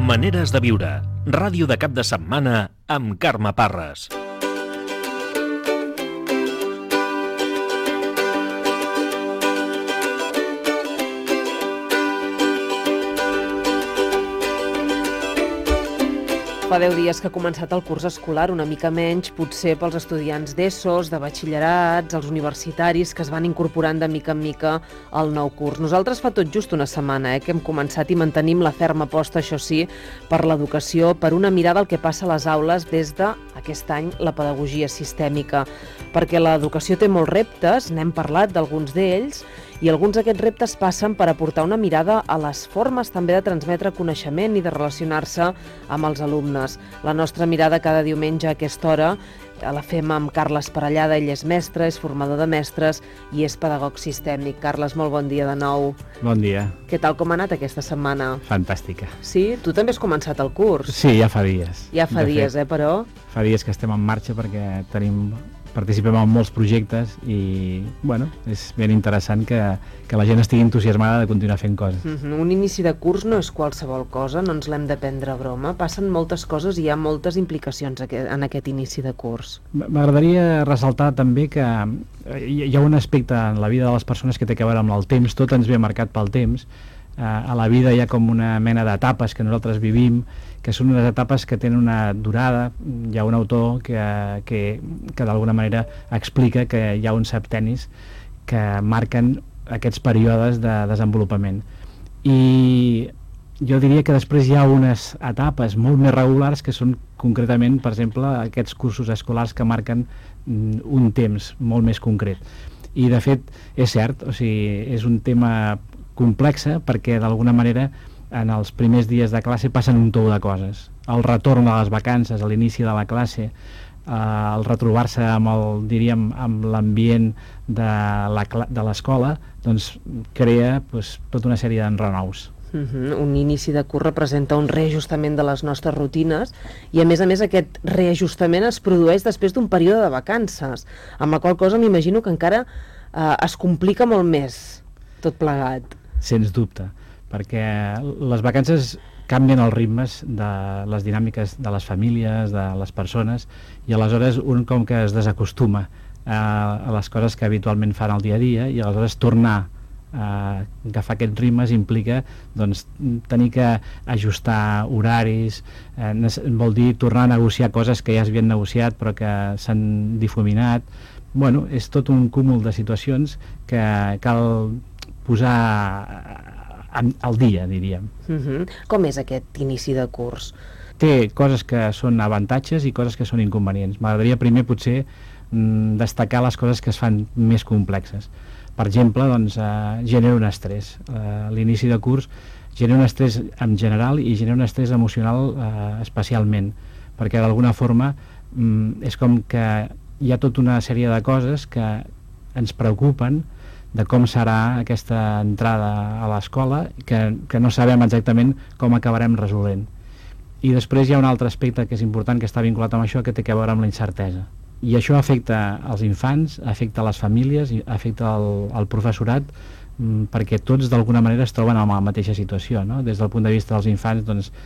Maneres de viure. Ràdio de cap de setmana amb Carme Parres. Fa 10 dies que ha començat el curs escolar, una mica menys, potser pels estudiants d'ESOs, de batxillerats, els universitaris, que es van incorporant de mica en mica al nou curs. Nosaltres fa tot just una setmana que hem començat i mantenim la ferma aposta, això sí, per l'educació, per una mirada al que passa a les aules des d'aquest any la pedagogia sistèmica. Perquè l'educació té molts reptes, n'hem parlat d'alguns d'ells, i alguns d'aquests reptes passen per aportar una mirada a les formes també de transmetre coneixement i de relacionar-se amb els alumnes. La nostra mirada cada diumenge a aquesta hora la fem amb Carles Parellada. Ell és mestre, és formador de mestres i és pedagog sistèmic. Carles, molt bon dia de nou. Bon dia. Què tal, com ha anat aquesta setmana? Fantàstica. Sí? Tu també has començat el curs? Sí, ja fa dies. Ja fa dies, però? Fa dies que estem en marxa perquè participem en molts projectes i, bueno, és ben interessant que la gent estigui entusiasmada de continuar fent coses. Un inici de curs no és qualsevol cosa, no ens l'hem de prendre a broma. Passen moltes coses i hi ha moltes implicacions en aquest inici de curs. M'agradaria ressaltar també que hi ha un aspecte en la vida de les persones que té a veure amb el temps, tot ens ve marcat pel temps. A la vida hi ha com una mena d'etapes que nosaltres vivim, que són unes etapes que tenen una durada. Hi ha un autor que d'alguna manera explica que hi ha uns septenis que marquen aquests períodes de desenvolupament. I jo diria que després hi ha unes etapes molt més regulars que són concretament, per exemple, aquests cursos escolars que marquen un temps molt més concret. I de fet és cert, o sigui, és un tema complexa perquè d'alguna manera en els primers dies de classe passen un tou de coses. El retorn a les vacances, a l'inici de la classe, el retrobar-se amb l'ambient de l'escola, doncs crea tota una sèrie d'enrenous. Un inici de curs representa un reajustament de les nostres rutines i a més aquest reajustament es produeix després d'un període de vacances, amb la qual cosa m'imagino que encara es complica molt més tot plegat. Sens dubte, perquè les vacances canvien els ritmes de les dinàmiques de les famílies, de les persones, i aleshores un com que es desacostuma a les coses que habitualment fan al dia a dia, i aleshores tornar a agafar aquests ritmes implica tenir que ajustar horaris, vol dir tornar a negociar coses que ja s'havien negociat però que s'han difuminat. Bueno, és tot un cúmul de situacions que cal posar al dia, diríem. Com és aquest inici de curs? Té coses que són avantatges i coses que són inconvenients. M'agradaria primer potser destacar les coses que es fan més complexes. Per exemple, genera un estrès. L'inici de curs genera un estrès en general i genera un estrès emocional especialment, perquè d'alguna forma és com que hi ha tota una sèrie de coses que ens preocupen de com serà aquesta entrada a l'escola, que no sabem exactament com acabarem resolent. I després hi ha un altre aspecte que és important, que està vinculat amb això, que té a veure amb la incertesa. I això afecta els infants, afecta les famílies, afecta el professorat, perquè tots d'alguna manera es troben en la mateixa situació, no? Des del punt de vista dels infants,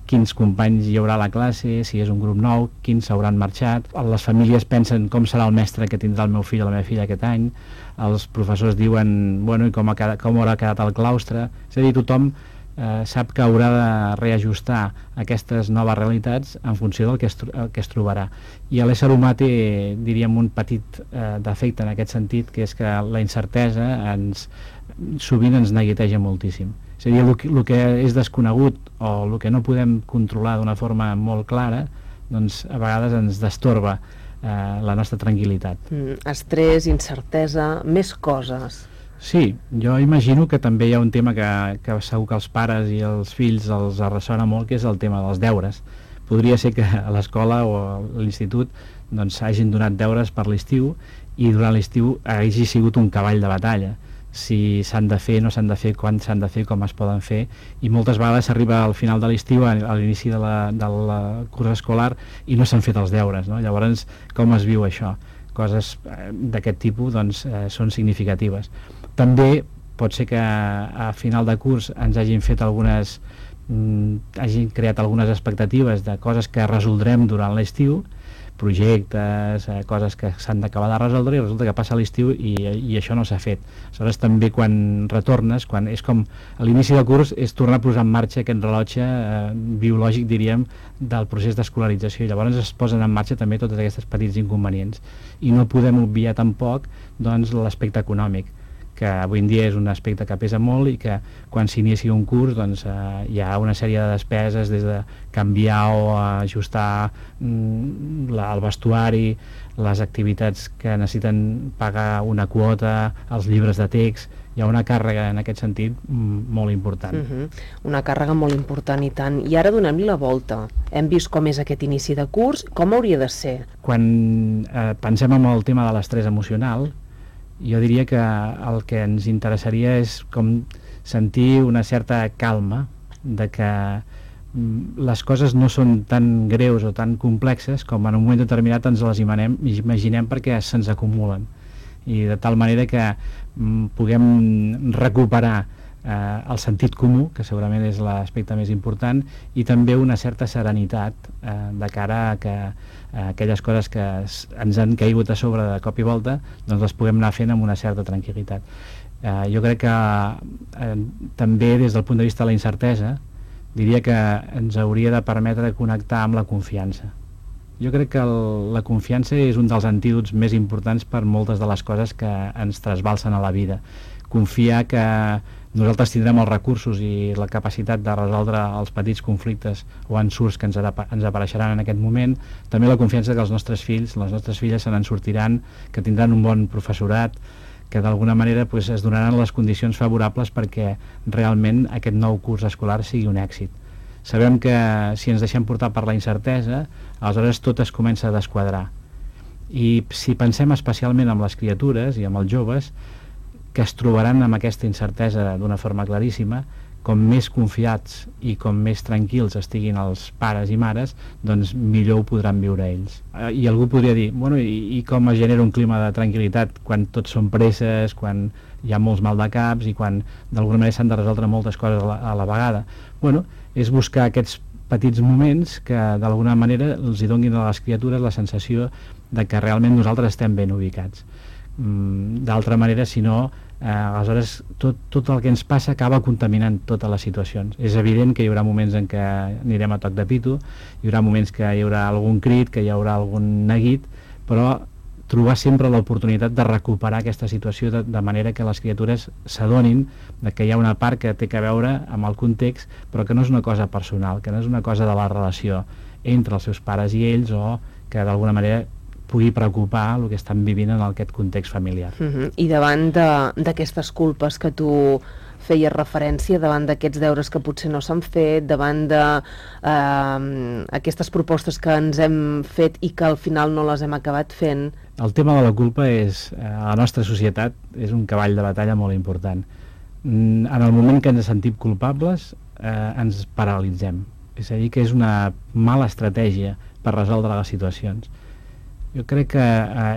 quins companys hi haurà a la classe, si és un grup nou, quins s'hauran marxat. Les famílies pensen com serà el mestre que tindrà el meu fill o la meva filla aquest any. Els professors diuen, bueno, i com haurà quedat el claustre. És a dir, tothom sap que haurà de reajustar aquestes noves realitats en funció del que es trobarà. I l'ésser humà té, diríem, un petit defecte en aquest sentit, que és que la incertesa sovint ens neguiteja moltíssim. És a dir, el que és desconegut o el que no podem controlar d'una forma molt clara, doncs a vegades ens destorba la nostra tranquil·litat. Estrès, incertesa, més coses. Sí, jo imagino que també hi ha un tema que segur que els pares i els fills els ressona molt, que és el tema dels deures. Podria ser que a l'escola o a l'institut hagin donat deures per l'estiu i durant l'estiu hagi sigut un cavall de batalla. Si s'han de fer, no s'han de fer, quan s'han de fer, com es poden fer, i moltes vegades s'arriba al final de l'estiu, a l'inici del curs escolar, i no s'han fet els deures, no? Llavors, com es viu això? Coses d'aquest tipus són significatives. També pot ser que a final de curs ens hagin fet algunes hagin creat algunes expectatives de coses que resoldrem durant l'estiu, projectes, coses que s'han d'acabar de resoldre, i resulta que passa l'estiu i això no s'ha fet. Aleshores també quan retornes, quan és com a l'inici del curs, és tornar a posar en marxa aquest rellotge biològic, diríem, del procés d'escolarització, i llavors es posen en marxa també tots aquests petits inconvenients, i no podem obviar tampoc doncs, l'aspecte econòmic, que avui en dia és un aspecte que pesa molt i que quan s'inicia un curs doncs, hi ha una sèrie de despeses, des de canviar o ajustar el vestuari, les activitats que necessiten pagar una quota, els llibres de text. Hi ha una càrrega en aquest sentit molt important. Una càrrega molt important, i tant. I ara donem-li la volta. Hem vist com és aquest inici de curs, com hauria de ser? Quan pensem en el tema de l'estrès emocional, jo diria que el que ens interessaria és com sentir una certa calma, de que les coses no són tan greus o tan complexes com en un moment determinat ens les imaginem perquè se'ns acumulen, i de tal manera que puguem recuperar el sentit comú, que segurament és l'aspecte més important, i també una certa serenitat de cara a que aquelles coses que ens han caigut a sobre de cop i volta doncs les puguem anar fent amb una certa tranquil·litat. Jo crec que també des del punt de vista de la incertesa diria que ens hauria de permetre connectar amb la confiança. Jo crec que la confiança és un dels antídots més importants per moltes de les coses que ens trasbalsen a la vida. Confiar que nosaltres tindrem els recursos i la capacitat de resoldre els petits conflictes o ensurts que ens apareixeran en aquest moment. També la confiança que els nostres fills, les nostres filles se n'en sortiran, que tindran un bon professorat, que d'alguna manera es donaran les condicions favorables perquè realment aquest nou curs escolar sigui un èxit. Sabem que si ens deixem portar per la incertesa, aleshores tot es comença a desquadrar. I si pensem especialment en les criatures i en els joves, que es trobaran amb aquesta incertesa d'una forma claríssima, com més confiats i com més tranquils estiguin els pares i mares, doncs millor ho podran viure ells. I algú podria dir, bueno, i com es genera un clima de tranquil·litat quan tots són presses, quan hi ha molts maldecaps i quan d'alguna manera s'han de resoldre moltes coses a la vegada? Bueno, és buscar aquests petits moments que d'alguna manera els hi donin a les criatures la sensació de que realment nosaltres estem ben ubicats. D'altra manera, si no, aleshores tot el que ens passa acaba contaminant totes les situacions. És evident que hi haurà moments en què anirem a toc de pito, hi haurà moments que hi haurà algun crit, que hi haurà algun neguit, però trobar sempre l'oportunitat de recuperar aquesta situació de manera que les criatures s'adonin que hi ha una part que té a veure amb el context, però que no és una cosa personal, que no és una cosa de la relació entre els seus pares i ells, o que d'alguna manera pugui preocupar el que estan vivint en aquest context familiar. I davant d'aquestes culpes que tu feies referència, davant d'aquests deures que potser no s'han fet, davant d'aquestes propostes que ens hem fet i que al final no les hem acabat fent... El tema de la culpa a la nostra societat és un cavall de batalla molt important. En el moment que ens sentim culpables ens paralitzem. És a dir, que és una mala estratègia per resoldre les situacions. Jo crec que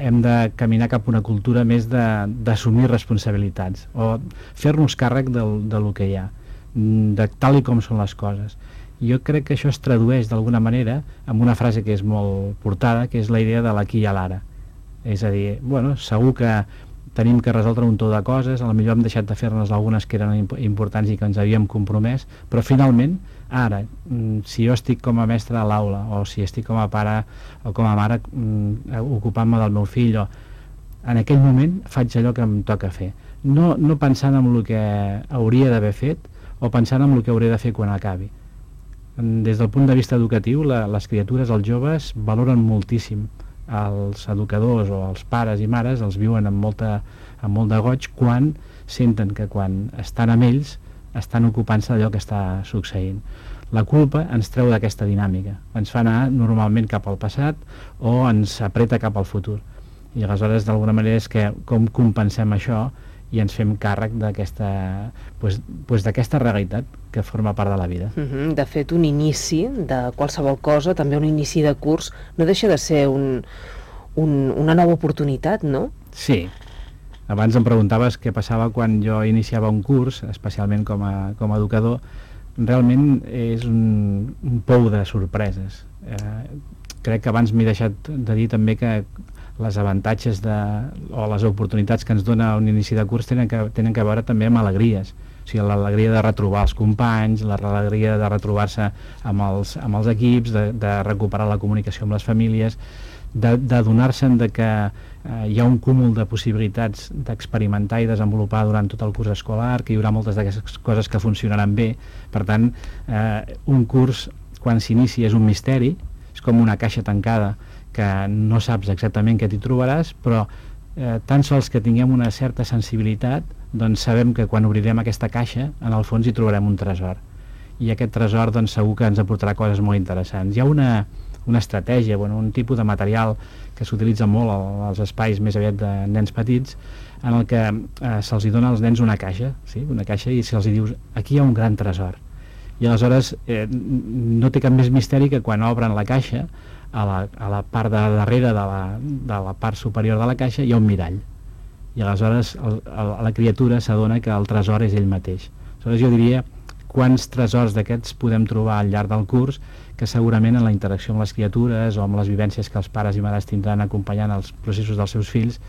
hem de caminar cap a una cultura més d'assumir responsabilitats o fer-nos càrrec del que hi ha, de tal i com són les coses. Jo crec que això es tradueix d'alguna manera en una frase que és molt portada, que és la idea de l'aquí i a l'ara. És a dir, bueno, segur que tenim que resoldre un tot de coses, potser hem deixat de fer-nos algunes que eren importants i que ens havíem compromès, però finalment, ara, si jo estic com a mestre a l'aula, o si estic com a pare o com a mare ocupant-me del meu fill, en aquell moment faig allò que em toca fer. No pensant en el que hauria d'haver fet o pensant en el que hauré de fer quan acabi. Des del punt de vista educatiu, les criatures, els joves, valoren moltíssim els educadors o els pares i mares, els viuen amb molt de goig quan senten que quan estan amb ells estan ocupant-se d'allò que està succeint. La culpa ens treu d'aquesta dinàmica, ens fa anar normalment cap al passat o ens apreta cap al futur. I aleshores d'alguna manera és que com compensem això i ens fem càrrec d'aquesta realitat que forma part de la vida. De fet, un inici de qualsevol cosa, també un inici de curs, no deixa de ser una nova oportunitat, no? Sí. Abans em preguntaves què passava quan jo iniciava un curs, especialment com a educador. realment és un pou de sorpreses. Crec que abans m'he deixat de dir també que les avantatges o les oportunitats que ens dona un inici de curs tenen que veure també amb alegries. O sigui, l'alegria de retrobar els companys, l'alegria de retrobar-se amb els equips, de recuperar la comunicació amb les famílies, d'adonar-se'n que hi ha un cúmul de possibilitats d'experimentar i desenvolupar durant tot el curs escolar, que hi haurà moltes d'aquestes coses que funcionaran bé. Per tant, un curs, quan s'inicia, és un misteri, és com una caixa tancada que no saps exactament què t'hi trobaràs, però tan sols que tinguem una certa sensibilitat, doncs sabem que quan obrirem aquesta caixa, en el fons hi trobarem un tresor. I aquest tresor doncs, segur que ens aportarà coses molt interessants. Hi ha una estratègia, un tipus de material que s'utilitza molt als espais més aviat de nens petits, en el que se'ls dona als nens una caixa, sí? Una caixa, i se'ls dius, aquí hi ha un gran tresor. I aleshores no té cap més misteri que quan obren la caixa, a la part de darrere de la part superior de la caixa hi ha un mirall, i aleshores la criatura s'adona que el tresor és ell mateix. Aleshores jo diria quants tresors d'aquests podem trobar al llarg del curs, que segurament en la interacció amb les criatures o amb les vivències que els pares i mares tindran acompanyant els processos dels seus fills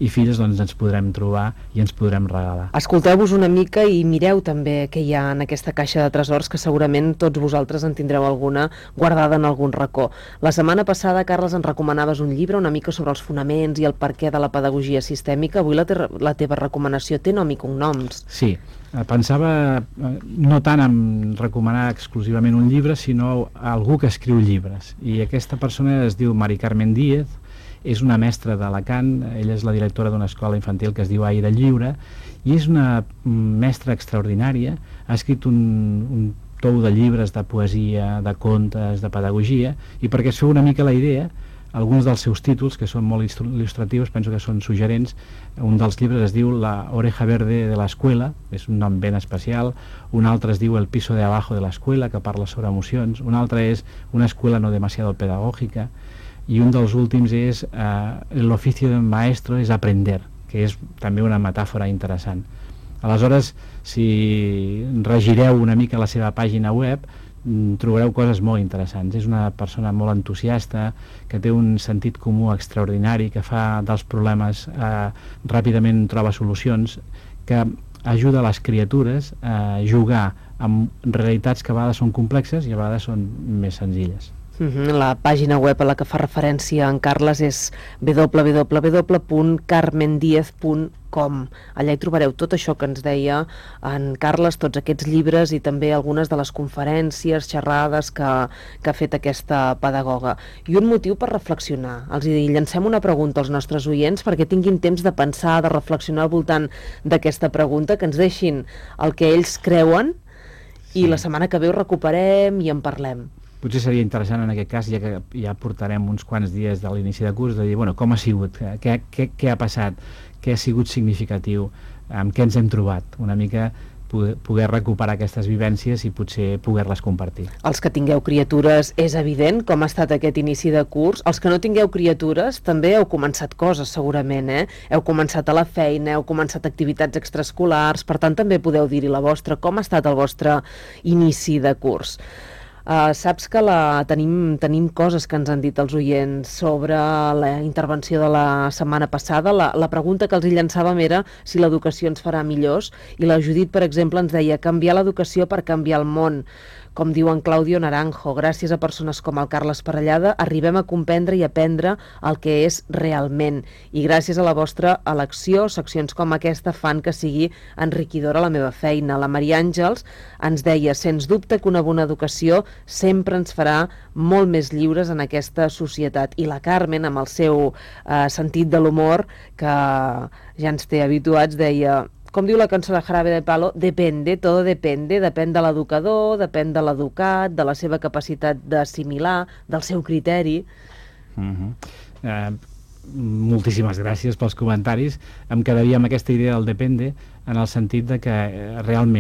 i filles, doncs ens podrem trobar i ens podrem regalar. Escolteu-vos una mica i mireu també què hi ha en aquesta caixa de tresors, que segurament tots vosaltres en tindreu alguna guardada en algun racó. La setmana passada, Carles, ens recomanaves un llibre una mica sobre els fonaments i el perquè de la pedagogia sistèmica. Avui la teva recomanació té nom i cognoms. Sí, pensava no tant en recomanar exclusivament un llibre, sinó algú que escriu llibres, i aquesta persona es diu Mari Carmen Díez, és una mestra d'Alacant, ella és la directora d'una escola infantil que es diu Aire Lliure, i és una mestra extraordinària, ha escrit un tou de llibres de poesia, de contes, de pedagogia, i perquè es feu una mica la idea, alguns dels seus títols, que són molt il·lustratius, penso que són suggerents. Un dels llibres es diu La oreja verde de l'escuela, és un nom ben especial. Un altre es diu El piso de abajo de l'escuela, que parla sobre emocions. Un altre és Una escuela no demasiado pedagógica. I un dels últims és El oficio del maestro es aprender, que és també una metàfora interessant. Aleshores, si regireu una mica la seva pàgina web, trobareu coses molt interessants. És una persona molt entusiasta, que té un sentit comú extraordinari, que fa dels problemes ràpidament troba solucions, que ajuda les criatures a jugar amb realitats que a vegades són complexes i a vegades són més senzilles. La pàgina web a la que fa referència en Carles és www.carmendiez.com. Allà hi trobareu tot això que ens deia en Carles, tots aquests llibres i també algunes de les conferències, xerrades que ha fet aquesta pedagoga. I un motiu per reflexionar. Els llancem una pregunta als nostres oients perquè tinguin temps de pensar, de reflexionar al voltant d'aquesta pregunta, que ens deixin el que ells creuen i la setmana que ve ho recuperem i en parlem. Potser seria interessant en aquest cas, ja que ja portarem uns quants dies de l'inici de curs, de dir, com ha sigut, què ha passat, què ha sigut significatiu, amb què ens hem trobat, una mica poder recuperar aquestes vivències i potser poder-les compartir. Els que tingueu criatures, és evident com ha estat aquest inici de curs. Els que no tingueu criatures també heu començat coses, segurament, Heu començat a la feina, heu començat activitats extraescolars, per tant també podeu dir-hi la vostra. Com ha estat el vostre inici de curs? Saps que tenim coses que ens han dit els oients sobre la intervenció de la setmana passada. La pregunta que els hi llançàvem era si l'educació ens farà millors, i la Judit, per exemple, ens deia canviar l'educació per canviar el món. Com diu en Claudio Naranjo, gràcies a persones com el Carles Parellada arribem a comprendre i aprendre el que és realment. I gràcies a la vostra elecció, seccions com aquesta fan que sigui enriquidora la meva feina. La Maria Àngels ens deia, sens dubte que una bona educació sempre ens farà molt més lliures en aquesta societat. I la Carmen, amb el seu sentit de l'humor, que ja ens té habituats, deia... Com diu la cançó de Jarabe de Palo, depende, todo depende, depèn de l'educador, depèn de l'educat, de la seva capacitat d'assimilar, del seu criteri. Moltíssimes gràcies pels comentaris. Em quedaria amb aquesta idea del depende, en el sentit de que realment